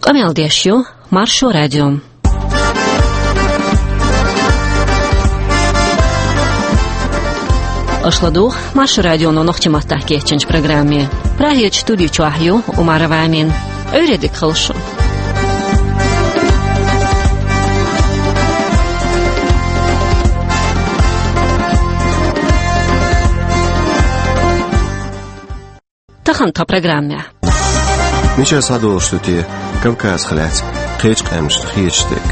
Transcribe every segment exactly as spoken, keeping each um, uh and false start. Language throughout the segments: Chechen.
Къамел деш ю Маршо радио. Аша ладугӀу Маршо радионо нохчийн маттахь кечйинчу программе. Прагерчу студи чохь ю Умарова Амина. Ӏуьйре дика хуьлда шун. Тахана тхан программехь. Мичара схьадолуш ду те Кавказах лаьцна кхечу къаьмнашна хеташ дерг?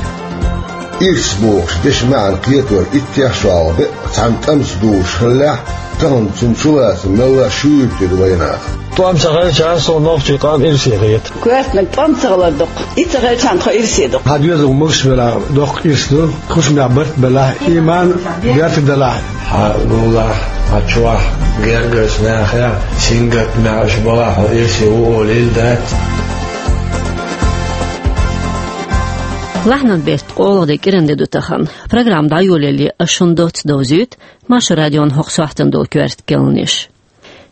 Ирс бохуш дешан маьӀна кхетор иттех шолгӀа бен цхьана тӀамца дузуш хиллехь, тахана цунна чулацам мелла шуьйра тӀе ду вайнах. ТӀом ца хилча, суна нохчийн къам ирсе хета. Коьртаниг тӀом ца хилар доккха. И ца хилчахьана тхо ирсе ду. Хьан доьзал муш велахь, доккха ирс ду. Хушамехь барт белахь, иман беркат делахь. Хьан гулахь, хьан чохь, гергарчу нахехь, сингаттамехь аша балахь, хьо ирсе ву олийла дац. Лахьанан беттан ткъолгӀа де кӀиран де ду тахана. Программа дӀайолале, ас шуна доцца довзуьйту Маршо радион хӀокху сохьтана долу коьрта керланаш.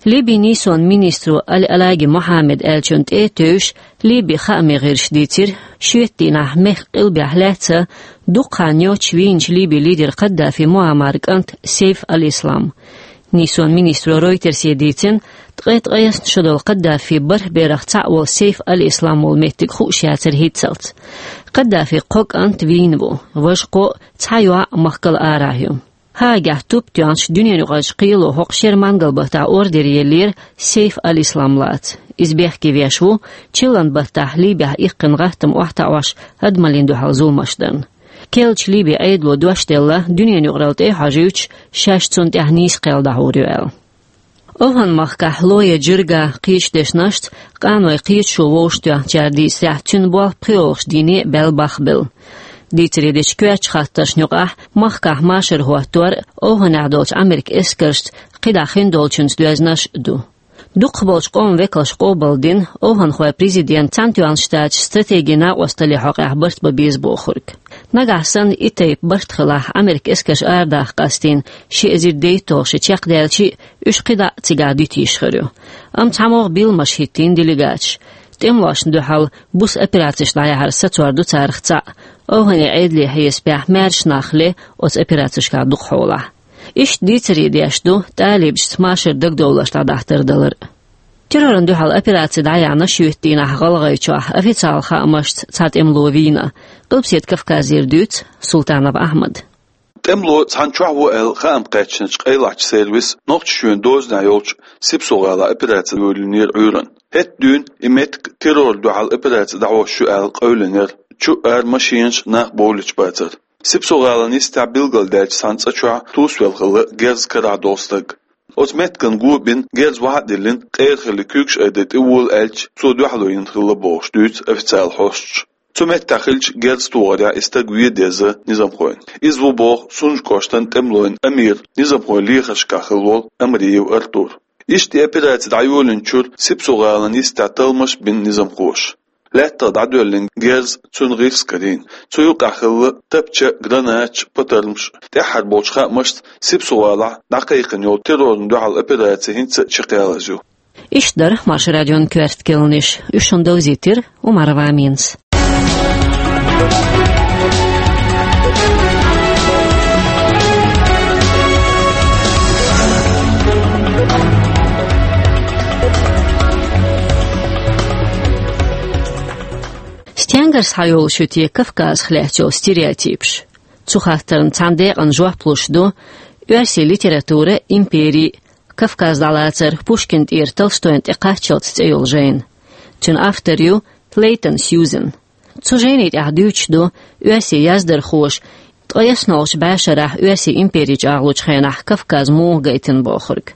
Ливин нийсонан министро Аль-Алаги Мухьаммад аьллачунна тӀе а тевжаш, Ливин хаамийн гӀирсаша дийцира, шоьтан дийнахь мехкан къилбехь лаьцна дукха хан йоццуш вийначу Ливин лидеран Каддафи Муаммаран кӀант Сейф аль-Ислам. Нийсонан министро Ройтерсе дийцина, ткъе ткъайоьсна шо долу Каддафин бархӀ берах цхьаъ волу Сейф аль-Ислам волу меттиг хууш яцара хӀинццалц. Каддафин кхо кӀант вийна ву, важа кхоъ, цхьа йоӀ махкал арахь ю. Гаагехь туп тоьхначу дуьненаюкъарчу кхело хӀокху шеран мангал баттахь ордер еллера Сейф аль-Ислам лаца. Иза бехке веш ву, чиллан баттахь Ливехь иккхина гӀаттам охьатаӀош адамаллина дуьхьал зуламаш дарна. Керлачу Ливин Ӏедало дош делла, дуьненаюкъаралла тӀе а хьожуьйтуш, шаьш цунна тӀехь нийса кхел дӀахьур ю аьлла. ОвхӀан-махкахь Лоя Джирга кхечу дешнашца, къаной кхечу шо вовшахтоьхначара дийцарехь, цуьнан болх пхоьалгӀачу дийне а баьлла бахбелла. Дийцаре дечу коьртачу хаттаршна юкъахь махкахь машар хӀоттор а, ОвхӀанехь долчу Ӏамеркан эскаршца кхидӀа хин долчуьнца доьзнаш а ду. Дукхахболчу къоман векалша къобалдина ОвхӀанхойн президента Цхьаьнатоьхначу Штаташца стратегин накъосталлин хьокъехь барт бан беза бохург. Нагахь санна и тайпа барт хилахь, Ӏамеркан эскарш арадаккха къастийна ши эзар дейтталгӀа шо чекхдаьлча а, уьш кхидӀа а цигахь дуьтуш хир ю. Амма цхьамогӀа билламаш хӀиттийна делегаташа. ТӀемалошна дуьхьал буса операцеш дӀаяхьар сацор ду царах цхьаъ. ОвхӀанан Ӏедалан хьесапехь, маьрша нах ле оцу операцешкахь дукхахьолахь. Иштта дийцаре деш ду талибашца машар дагадовларш дӀадахьа тардалар а. Террорна дуьхьал операци дӀаяьхьна шоьтан дийнахь ГӀалгӀайчохь, официалан хаамашца цхьа тӀемало вийна. Къилбаседа Кавказера дуьйцу Султанов Ахьмада. ТӀемало цхьана чохь ву аьлла хаам кхаьчначу къайлахчу сервисан, Нохчийчоьнан дозанехь йолчу Сипсо-гӀалахь операци йолийнера Ӏуьйранна. ХӀетахь дуьйна и меттиг террорна дуьхьал операци дӀахьош ю аьлла къевлинера, чу-ара машенаш, нах бовлуьйтуш бацара. Сипсо-гӀалин йистехь билгалдаьллачу цхьана цӀа чохь тосавелла хилла герз карахь долу стаг. Оцу меттиган го бина герз вахьа а диллина, къера хилла куьйгаш айдина тӀевола аьлча, цо дуьхьало йина хилла бохуш дуьйцу официалан хьосташа. Цу меттехь хиллачу герз тохарехь и стаг вен деза низамхойн. Иза ву боху Сунжа кӀоштан тӀемалойн амиран низамхойн лехаршкахь хилла волу Амриев Артур. Иштта и операци дӀайолийначуьра Сипсо-гӀалин йистехь талламаш а бина низамхоша. Лаьттах дӀадоьллина герз, цуьнан гӀирс карийна. Цу юкъахь хилла тапча, гранаташ, патармаш. ТӀаьххьара болчу хаамашца, Сипсо-гӀалахь дӀакхайкхина йолу террорна дуьхьал операци хӀинца а чекхъялаза ю. Иштта дара Маршо радион коьрта керланаш. Уьш шуна довзийтира Умарова Аминас. Стенгара схьайолуш ю те Кавказах лаьцна йолу стереотипаш? Цу хаттарна цхьана декъана жоп луш ду оьрсийн литература, импери, Кавказ дӀалацар, Пушкин тӀера Толстойн тӀекхаччалц цӀе йолу жайна. Цуьнан автор ю Лейтон Сьюзен. Цу жайни тӀехь дуьйцуш ду оьрсийн яздархоша ткъе ялхалгӀачу бӀешарахь оьрсийн импери чӀагӀлучу хенахь Кавказ муха гайтина бохург.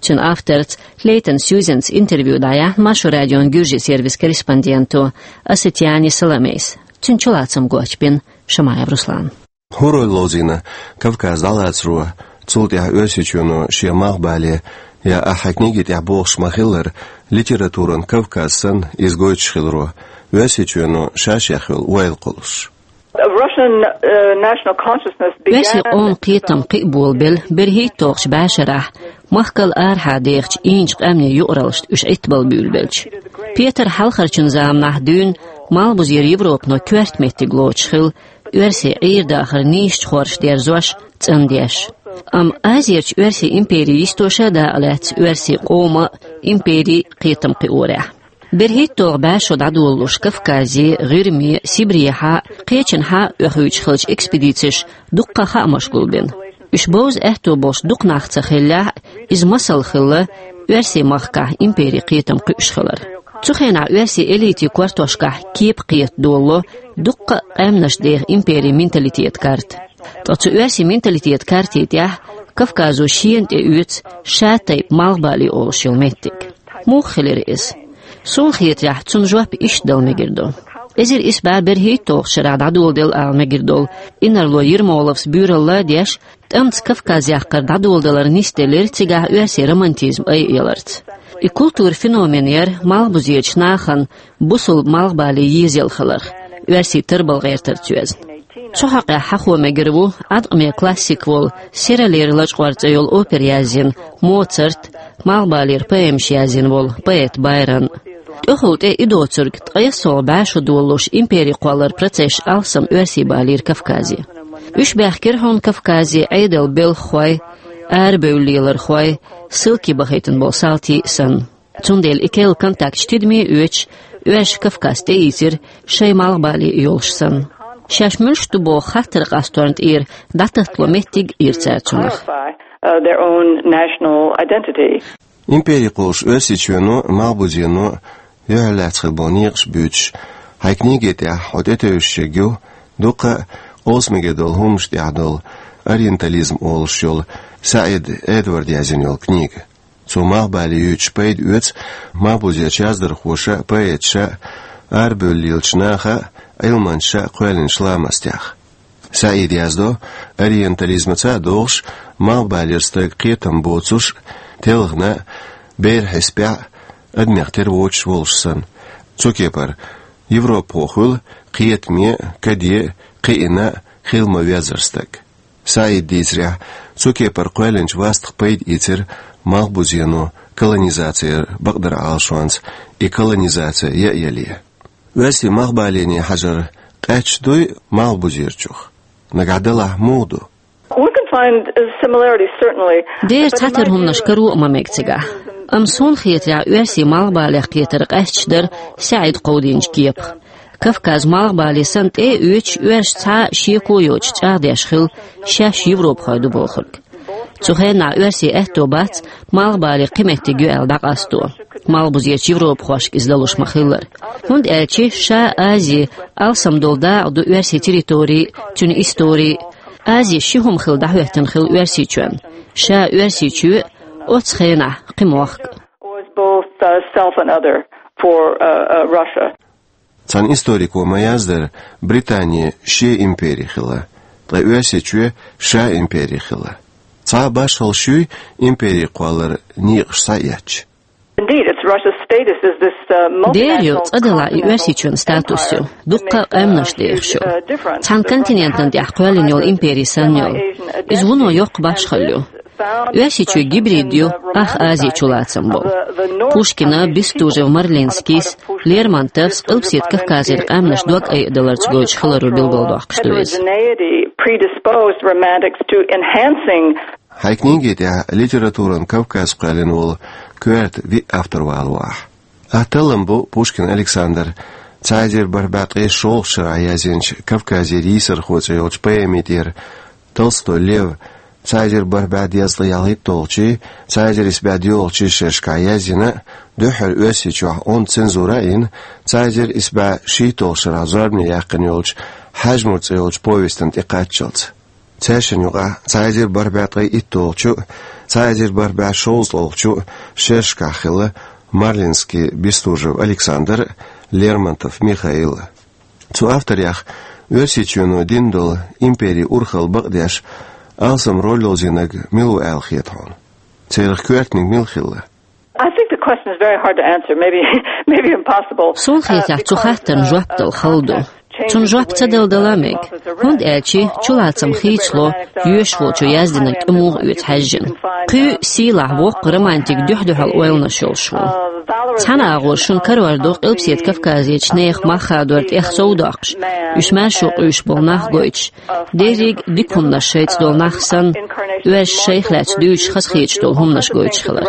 Цуьнан авторца Лейтон Сьюзенца интервью дӀаяьхьна Маршо радион гуьржийн сервисан корреспонденто Асатиани Саламейс. Цуьнан чулацам гочбина Шамаев Руслана. ХӀун роль ловзийна Кавказ дӀалацаро, цул тӀаьхьа Оьрсийчоьно шен малхбале, я ахьа книги тӀехь бохуш ма-хиллара, литературан Кавказ санна иза гойтуш хиларо, Оьрсийчоьно ша-шех йолу ойла кхуллуш? Russian, uh, national consciousness began. Оьрсийн къоман кхетам кхин а болабелла берхӀитталгӀачу бӀешарахь, махкал арахьа дехачу ийначу къаьмнийн юкъараллашна уьш Ӏиттабала буьйлабелча. Петар Хьалхарчун заманахь дуьйна Малхбузера Европано коьрта меттиг лоцуш хилла, оьрсийн Ӏер-дахар нийсачу хорша дерзош, цӀандеш. Амма Азерчу оьрсийн импери йистоша а дакъа лаьцна оьрсийн къоман а, империн а кхетам кхиорехь. БерхӀитталгӀа бӀе шо дӀадолалуш Кавказе, ГӀирме, Сибрехьа, кхечанхьа а оьхуьйтуш хиллачу экспедицеша дуккха а хаамаш гулбина. Уьш бовза аьтто болуш дукха нах ца хиллехь а, иза масал хилла оьрсийн махкахь империн кхетам кхуьуш хилар. Цу хенахь оьрсийн элитин кортошкахь кепа кхета долало дуккха а къаьмнаш деха империн менталитетан карта. Ткъа цу оьрсийн менталитетан картин тӀехь Кавказо шена тӀеоьцу ша тайпа малхбале олуш йолу меттиг. Муха хилира иза? Суна хетарехь, цунна жоп иштта дала мегар ду. Эзар исс бӀе берхӀитталгӀачу шарахь дӀадоладелла ала мегар долу инарло Ермоловс буьйралла а деш, тӀамца Кавказ яккхар дӀадоладалар нисделира цигахь оьрсийн романтизм айъяларца. И культуран феномен яра малхбузерчу нахана бусалба малхбале езъелла хиларх, оьрсийн тарбала гӀертарца йоьзна. Цу хьокъехь хьахо мегар ву Ӏаткъаме классик волу Сералера лачкъор цӀе йолу опера язйина Моцарт, малхбалера поэмаш язйина волу поэт Байрон. ТӀехула тӀе и доцург ткъайоьсналгӀа бӀе шо долалуш импери кхолларан процессаш алсам оьрсий балийра Кавказе. Уьш баьхкира хьуна Кавказе Ӏедалан белхахой, арабевлла лелархой, ссылке бахийтина болу салтий а санна. Цундела и керла контакташ тидаме а оьцуш, оьрсаша Кавказ тӀеийцира шайн малхбале йолуш санна. Шаьш муьлш ду боху хаттар къасторна тӀера дӀататтало меттиг а йира цара цунах. Clarify, uh, their own national identity. Импери кхуллуш Оьрсийчоьно а, Малхбузено а юьхьарлаьцна хилла болу некъаш буьйцуш, хьайн книги тӀехь хьо тӀетевжаш ерг ю дуккха а къовса мегар долу хӀуманаш тӀехь долу «Ориентализм» олуш йолу СаӀид Эдварда язйина йолу книга. Цо малхбале юьйцуш пайда оьцу малхбузерчу яздархоша а, поэташа а, арабевлла лелачу наха а, Ӏилманчаша а кхоьллинчу ламастех. СаӀида яздо, ориентализмаца а догӀуш, малхбалера стаг кхетам боцуш а, телхина а, беран хьесапехь а, адамех тера воцуш волуш санна. Цу кепара, европахо хуьлу кхетаме а, каде а, кхиъна а, хила ма-веззара стаг. СаӀида дийцарехь, цу кепара кхоьллинчу вастах пайда ийцира Малхбузено колонизаци яра бакъдерг Ӏалашонца, и колонизаци яа яле. Оьрсийн малхбалене хьажар къаьсташ дуй малхбузерчух? Нагахь далахь муха ду? We can find, uh, similarities, certainly. Дера цхьатера хӀуманаш каро а ма мега цигахь. Амма суна хетарехь, оьрсийн малхбалех кхетар къаьсташ дара СаӀида кховдийначу кепах. Кавказ малхбале санна тӀе а оьцуш, оьрсаша цхьа а шеко а йоцуш чӀагӀдеш хилла шаьш европахой ду бохург. Цу хенахь оьрсийн аьтто бац малхбале кхин меттиг ю аьлла дӀакъасто. Малхбузерчу европахошка иза далуш ма-хиллара. ХӀунда аьлча ша Ази алсам долу дакъа ду оьрсийн территори а, цуьнан истори а. Ази ши хӀума хилла дӀахӀоьттина хилла Оьрсийчоьнна. Ша Оьрсийчоь а, оццу хенахь кхин мохк а. Was both, uh, self and other for, uh, uh, Russia. Цхьана историко ма-яздара, Британи шен импери хилла, ткъа Оьрсийчоь ша импери хилла. Цхьа а башхалла шуьй импери кхоллара некъаш схьаэцча? Indeed, it's Russia's status as this, uh, Дера ю, multinational цкъа делахь и continental Оьрсийчоьнан статус ю, empire дуккха а that makes, uh, къаьмнаш huge, дехаш ю. uh, difference. Цхьана континентана тӀехь кхоьллина йолу импери санна йолу. Иза вуно йоккха башхалла ю. Оьрсийчоь гибрид ю, ах Ази чулацам болу. Пушкина, Бестужев, Марлинскийс, Лермонтовс Къилбаседа Кавказера къаьмнаш дог айадаларца гойтуш хиларо билгалдоккхуш ду иза. Heterogeneity predisposed romantics to enhancing. Хьайн книги тӀехь литературан Кавказ кхоьллина волу коьрта виъ автор валавахь. Ах таллам бу Пушкин Александр, цхьа эзар бархӀ бӀе ткъе шолгӀачу шарахь язйинчу «Кавказера йийсархо» цӀе йолчу поэми тӀера, Толстой Лев, цхьа эзар бархӀ бӀе дезткъе ялхитталгӀачий, цхьа эзар исс бӀе доьалгӀачий шерашкахь язйина, дуьххьара Оьрсийчохь онда цензура а йина, цхьа эзар исс бӀе шийтталгӀачу шарахь зорбане яьккхина йолчу «Хьаьжмур» цӀе йолчу повестана тӀекхаччалц. Цаьршинна юкъахь цхьа эзар бархӀ бӀе ткъе итталгӀачу а, цхьа эзар бархӀ бӀе шовзткъалгӀачу а шерашкахь хилла Марлинский, Бестужев Александр а, Лермонтов Михаил а. Цу авторех Оьрсийчоьно дина долу империн урхалла бакъдеш алсам роль ловзийнарг мила ву аьлла хета хьуна? Царах коьртаниг мила хилла? I think the question is very hard to answer, maybe, maybe impossible. Суна хетарехь, цу хаттарна жоп дала хала ду. Цунна жоп ца дала дала а мега, хӀунда аьлча чулацам хийцало йоьшахволчо яздинарг тӀемуха оьцу хьаьжжина. Кхин а сийлахь воккха романтик дуьхь-дуьхьал ойланаш йолуш ву. Цхьана агӀор шуна карор ду Къилбаседа Кавказерчу нехан мах хадор тӀех сов доккхуш, уьш маьршо къуьйсуш болу нах гойтуш, дерриг а дика хӀуманаш шайца долу нах санна, оьрсаша шайх лаьцна дуьйцуш хазахеташ долу хӀуманаш гойтуш хилар.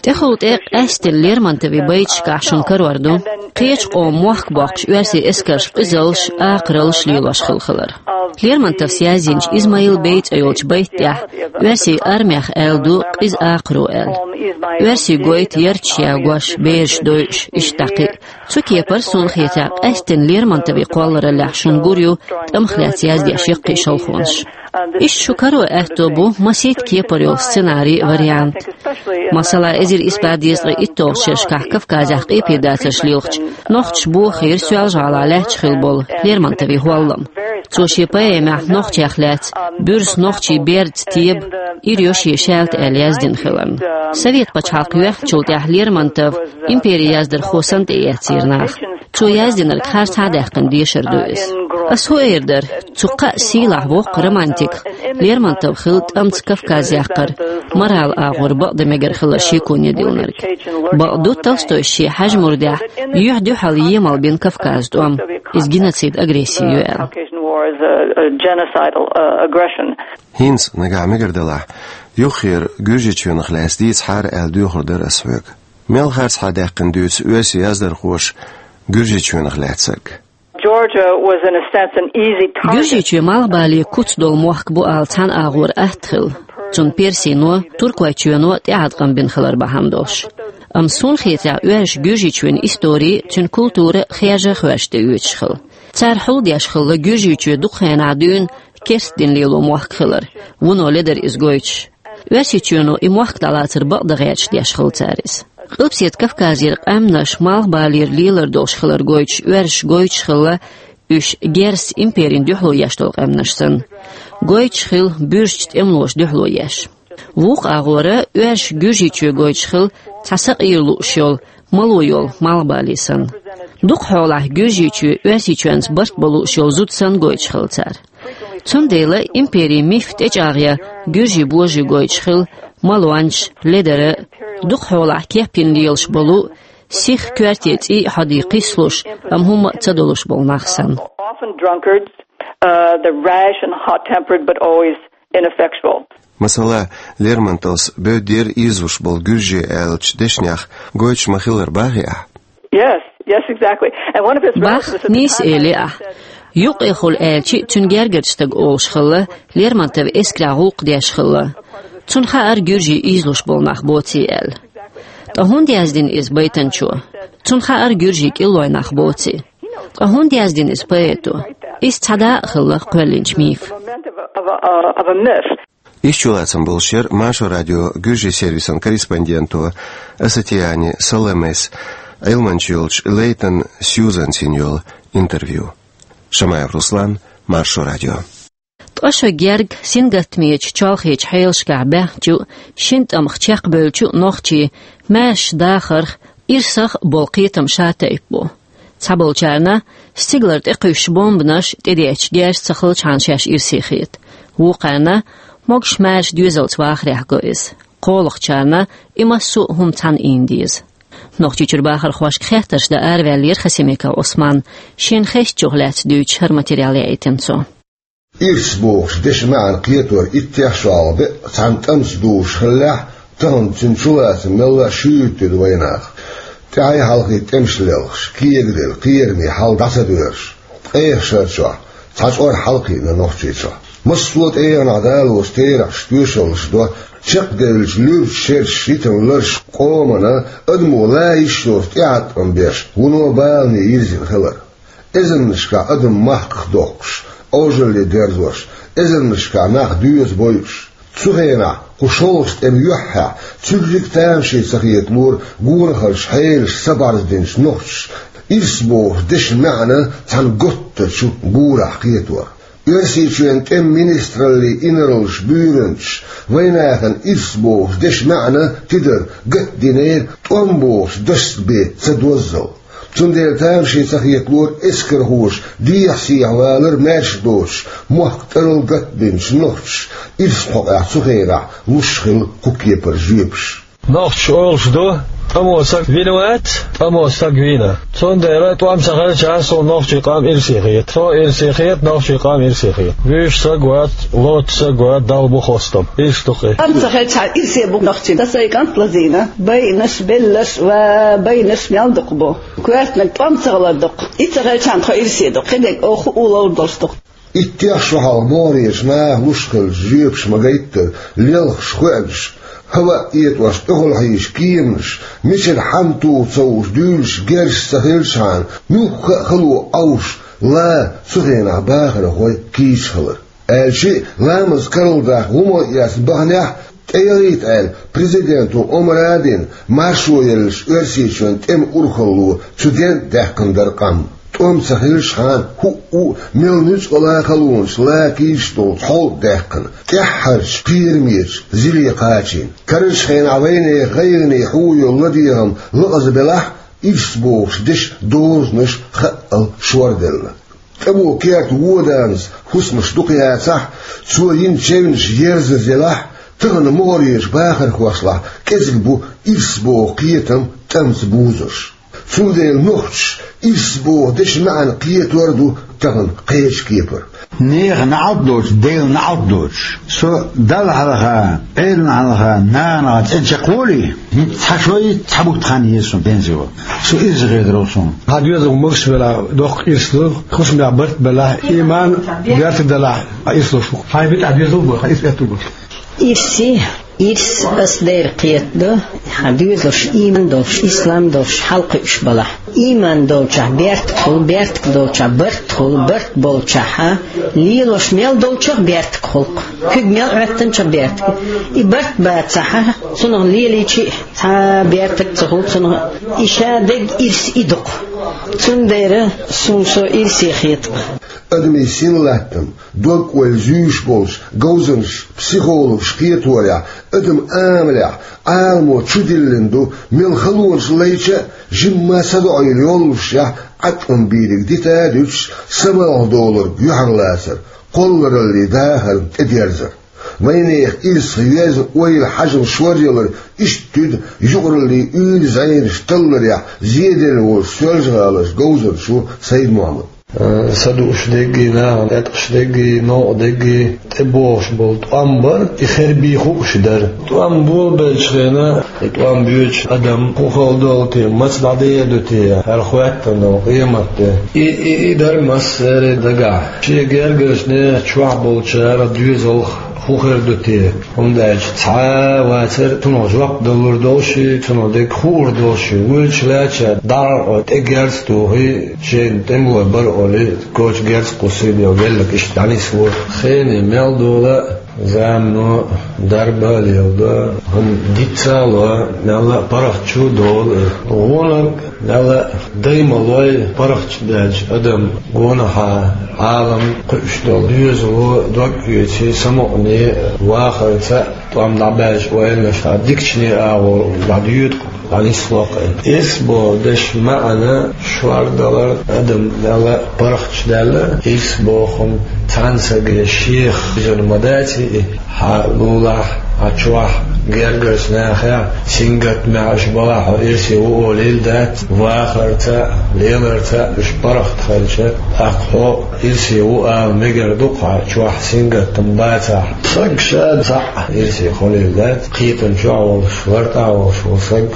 ТӀехула тӀе къаьсттина Лермонтовн байташкахь шуна карор ду кхечу къоман мохк боккхуш оьрсийн эскарш къизаллаш, акхараллаш лелош хилла хилар. Лермонтовс язйинчу «Измаил бей» цӀе йолчу байта тӀехь оьрсийн армех аьлла ду къиза акхаро аьлла. Оьрсийн гойту ярташ ягош, бераш дойуш, иштта дӀа кхин а. Цу кепара, суна хетарехь, къаьсттина Лермонтовн кхоллараллехь шуна гур ю тӀамах лаьцна яздеш яккхий шалхонаш. Иштта шу каро аьтто бу масийтта кепара йолу сценарий а, вариант. Масала, эзар исс бӀе дезткъе итталгӀачу шерашкахь Кавказехь къепедацарш лелхачу нохчаша бохийра Соьлжа-ГӀалахь лаьтташ хилла болу Лермонтовн хӀоллам. Цо шен поэмехь нохчех лаьцна, буьрса нохчийн бердца теба, ира йо шен шаьлта аьлла яздина хиларна. Совет пачхьалкх йоьхначул тӀаьхьа Лермонтов империн яздархо санна тӀеэцира нах. Цо яздинарг хӀара цхьа а даьккхина дешар ду иза. Ас хӀун эр дара, цу кхаа сийлахь воккха романтиках Лермонтов хилла тӀамца Кавказ яккхар моралан агӀор бакъдан мегар хилар шеконе диллинарг. Бакъду, Толстойс шен «Хьаьж-Мурдехь» юьхь-дуьхьал емал бина Кавказан тӀом, иза геноцид, агресси ю аьлла. ХӀинца, нагахь мегар далахь, юххера Гуьржийчоьнах лаьцна дийцахьара аьлла доьхур дара ас хьоьга. Мел хӀара цхьа а даьккхина дуьйцу оьрсийн яздархоша Гуьржийчоьнах лаьцнарг? Georgia was, in a sense, an easy target. Гуьржийчоь малхбален куц долу мохк бу ала цхьана агӀор атта хилла, цунна Персино, Туркойчоьно тӀеӀаткъам бина хилар бахьана долуш. Амма суна хетарехь, оьрсаша Гуьржийчоьнан истори, цуьнан культура хержа а хоьржа тӀеоьцуш хилла. Цара хьулдеш хилла Гуьржийчоь дукха хенахь дуьйна керста дин лело мохк хилар, вуно ледара иза гойтуш. Оьрсийчоьно и мохк дӀалацар бакъдан гӀерташ деш хилла цара иза. Къилбаседа Кавказера къаьмнаш малхбалера лелар долуш хилар гойтуш, оьрсаша гойтуш хилла уьш герзаца империна дуьхьало еш долу къаьмнаш санна. Гойтуш хилла буьрсачу тӀемалоша дуьхьало еш. Вукху агӀора оьрсаша Гуьржийчоь гойтуш хилла цхьа сакъера лууш йолу, мало йолу малхбале санна. Дукха хьолахь Гуьржийчоь оьрсийчоьнца барт бан лууш йолу зуда санна гойтуш хилла цара. Цундела империн миф тӀечӀагӀъян гуьржийн божарий гойтуш хилла малончаш, ледара, дукха хьолахь кеп йина лелаш болу, сиха коьрте цӀий а, хьодий кхиссалуш, амма хӀумма а ца долуш болу нах санна. Often drunkards, uh, the rash and hot-tempered, but always ineffectual. Масала, Лермонтовс бевддера ийзалуш болу гуьржий аьллачу дешнех гойтуш ма-хиллара бахий ахь? Yes, yes, exactly. And one of his Бах, relatives at the нийса time элира ахь. Юкъехула аьлча, цуьнан гергарчу стага олуш хилла, Лермонтовн эскарехь гӀуллакх деш хилла. Цунна хаьара гуьржий ийзалуш болу нах боций аьлла. Ткъа хӀунда яздина иза байтанчо? Цунна хаьара гуьржий кӀиллой нах боций. Ткъа хӀунда яздина иза поэто? Иза цхьа дакъа хилла кхоьллинчу мифан. Of a, of a, of a myth. Иштта чулацам болуш яра Маршо радион гуьржийн сервисан корреспонденто Асатиани Саламес Ӏилманча йолчу Лейтон Сьюзанца йина йолу интервью. Шамаев Руслан, Маршо радио. Ткъа шо герга сингаттамечу чолхечу хьелашкахь баьхначу, шина тӀамах чекхбевллачу нохчийн маьршачу дахарх, ирсах а болу кхетам шатайпа бу. Цхьаболчарна стигалара тӀекхуьссуш бомбанаш, тӀедеъча герз ца хилчхьана шаьш ирсе хета. Вукхарна могуш маьрша доьзалца вахарехь го иза. КхоалгӀачарна и массо а хӀума цхьаьна ийна деза. Нохчийчуьра бахархошка хеттарш дан араваьллера Хасимиков Ӏусман, шена хестачух лаьцна дуьйцуш хӀара материал яийтина цо. Ирс бохучу дешан маьӀна кхетор иттех шолгӀа бен цхьаьна тӀамца дузуш хиллехь, тахана цуьнан чулацам мелла а шуьйра тӀе ду вайнах. ТӀаьхьий-хьалхий тӀемаш лелхаш, кегаделла, кхераме хьал дӀа ца доьрзуш, ткъех шарчохь цхьа чкъор хьалакхиъна Нохчийчохь. Массо а тӀегӀанехь далош терахьаш тоьшаллаш до, чекхдевллачу луьрачу шерашца йитина лараш къомана, адамо лан йиш йоцу тӀеӀаткъам беш, вуно балане йирзина хилар. Эзарнашкахь адам махках доккхуш, Ӏожалле дерзош, эзарнашкахь нах доьза бойуш. Цу хенахь, кху шолгӀачу тӀеман юьххьехь, цуьрриг а тамашийна ца хеталора гонахарчу хьелаша са бӀарздинчу нохчаша ирс бохучу дешан маьӀна цхьана готтачу гурахь кхетор. Оьрсийчоьнан тӀеман министраллин инарлаш буьйранчаш вайнахана ирс бохучу дешан маьӀна тидар гатдинера тӀом бохучу дашца бен ца доззал. Цундела тамашийна ца хеталора эскархоша дехьа-сехьа валар маьрша доцуш, мохк тӀарал гатбинчу нохчаша ирс кхокъехь цу хенахь луш хилла кху кепара жоьпаш. Нохчаша олуш ду: тӀамо саг вина вац, тӀамо саг вийна. Цундела тӀом ца хилча, суна нохчийн къам ирсе хета. Со ирсе хета, нохчийн къам ирсе хета. Вуьйш саг вац, лоцу саг вац, Далла бу хостам. Иштта ду-кх и. ТӀом ца хилча, ирсе бу нохчийн. Сан сайн кӀант лазийна. Байинарш, белларш ва байинарш мел дукха бу. Коьртаниг тӀом ца хилар ду-кх. И ца хилчахьана тхо ирсе ду-кх. Кхидерг оха хуур долуш ду-кх. Иттех шо хьалха могӀарерчу наха луш хиллачу жоьпаша ма-гайттара, лелхаш, хоьанаш, хӀаваъ этӀош тӀехула хьийзаш кеманаш, мичара хьанна туху ца хууш дуьйлуш герзаш ца хилчахьана, муьлхха а хало Ӏовжуш, ла цу хенахь бахархой кийча хилар. Аьлча а, ламаз карладаккха гӀо ма эцна баханехь, тӀеяхийта аьлла, президенто омра а дина, маршо еллачу Оьрсийчоьнан тӀеман урхалло цу ден а даьккхина дара къам. ТӀом ца хилчахьана, хӀуъу а, мел нуьцкъала халонаш ла кийча долчу хьол а даьккхина, тӀаьххьарчу кхерамечу зиле кхачийна. Карарчу хенахь вайнехан гӀайгӀане хьуо йолу ладегӀам лакъаза белахь а, ирс бохуш дешан дозанаш хаъал шорделла. ТӀамо керта вон-данас хӀусамаш дукха яцахь а, цо йина чевнаш ерзаза елахь а, тахана могӀарерчу бахархошлахь кӀезиг бу ирс боху кхетам тӀамца бузурш. Цундела нохчаша ирс боху дешан маьӀна кхетор а ду тахана кхечу кепара. Нехан неӀалт доцуш, Делан неӀалт доцуш. Со Далла хьалха, Ӏелана хьалха, нахана хьалха цӀена чекхволий, хӀинца цхьа шой, цхьа бутт хан еза суна пенсио. Со ирсе хетарал суна. Хьан доьзалх могуш велахь, доккха ирс ду, хӀусамехь барт белахь, иман бертиг делахь, хьан ирс луш ву. Хьайн битӀахь доьзал бу, хьан ирс бертиг бу. Ирсе, ирс ас дера кхетадо, хьан доьзалш иман долуш, ислам долуш хьалакхуьуш балахь. Иман долчохь бертиг хуьлу, бертиг долчохь барт хуьлу, барт болчохь лелош мел долчух бертиг хуьлу-кх, куьг мел Ӏоьттинчух бертиг. И барт бацахь, цунах лелийча а цхьа бертиг ца хуьлу цунах, и ша дерг ирс и ду-кх. Цундела суна со ирсе хета-кх. Адамийн синлаттам, дог-ойла зуьйш болчу говзанчаша, психологаша кхеторехь, адаман амалехь Ӏаламо чудиллина ду, мел халонаш лайча а, жимма а садоӀийла йоллушехь, Ӏаткъам бийриг дита а дуьтуш, самукъадолург юьхьарлацар, кхоллараллин дахарна тӀедерзар. Вайнехан ирсах йоьзна ойла, хьажам шоръялар иштта туьду юкъараллин уьйр-зӀенаш талларехь зеделла волчу Соьлжа-ГӀаларчу говзанчо Сайд-Мохьмада. Э, са дууш дерг а, нахана тӀеткъаш дерг а, новкъа дерг а тӀебогӀуш болу тӀом бар, и хербий хууш дара. ТӀом болабеллачу хенахь, и тӀом боьдуш адам хӀун хала долу те, маца дӀадер ду те, хӀара хоьттина долу къематде. И, и, и дара массеран дагахь. Шен гергарчу нехан чохь болчара доьзалх хӀун хир ду те? ХӀунда аьлча цхьа а вацара цунах жоп далур долуш, цунах дерг хуур долуш, вуьйлуш лаьттачара дӀа а тӀе герз тухий, шайна тӀемалой бара олий, коча герз кхуссий, велларг иштта дӀанисвора. Хенан мел дола, замано дарба а леладо, хӀума дицца а ло, мелла а паргӀат чу а долу. ГӀонаг мелла а дай ма лой, паргӀат чу даьлча адам гонахьа Ӏалам кхуьуш долу. Доьзало дог оьций, самукъане, вахарца а тӀом дӀабаьлча ойланаш дӀа дикачу нехан агӀор дӀадоьду-кх, дӀанисло-кх. Ирс боху дешан маьӀна шордалар, адам мелла а паргӀат чу даьлла, ирс боху хӀума цхьана саге шех бижина ма дац и. Хьан лулахь, хьан чохь гергарчу нахехь сингаттамехь уьш балахь, хьо ирсе ву олийла дац, вахарца а, леларца а уьш паргӀат хилча, тӀаккха хьо ирсе ву ала мегар ду-кх, хьан чохь сингаттам бацахь. Саг ша цхьаъ ирсе хуьлийла дац, кхетам чохь а волуш, лартӀехь а волуш волу саг.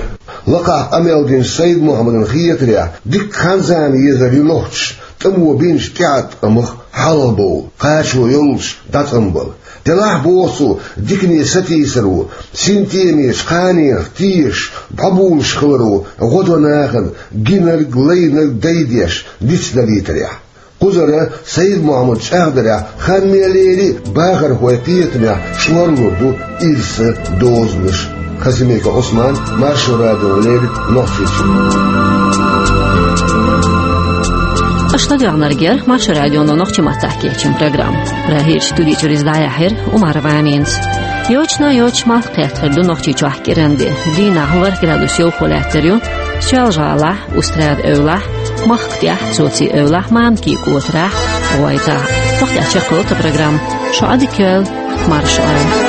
Лакхахь къамел динчу Сайд-Мохьмадан хетарехь, дикка хан-зама езар ю нохчаша тӀамо бинчу тӀеӀаткъамах хьалхабовла, кхачо йоллуш дӀацӀанбала. Делахь, боху цо, дикане сатийсаро, синтемечу кханенах тешаш, бӀобулуш хиларо гӀо до нахана, гинарг, лайнарг дайдеш, дицдалийтарехь. Кхузара Сайд-Мохьмад чӀагӀдарехь, хан мел лели а, бахархойн кхетамехь шорлур ду ирсан дозанаш. Хасимиков Ӏусман, Маршо радиона леррина Нохчийчуьра. Аша ладоьгӀнарг яра Маршо радионо нохчийн маттахь кечйина программа. Прагерчу студи чуьра иза дӀаяьхьира Умарова Аминас. Йочана а йоцуш, малх кхетта хир ду Нохчийчохь кӀиранде. Дийнахь ворхӀ градус йовхо лаьттар ю Соьлжа-ГӀалахь, Устрада-Эвлахь, Махка тӀехь цо ци эвлахь мамки кӀотарахь, гӀойтахь. Тохтехь чекхвелла тхан программа. Шо Ӏадика йойла, марша Ӏойла.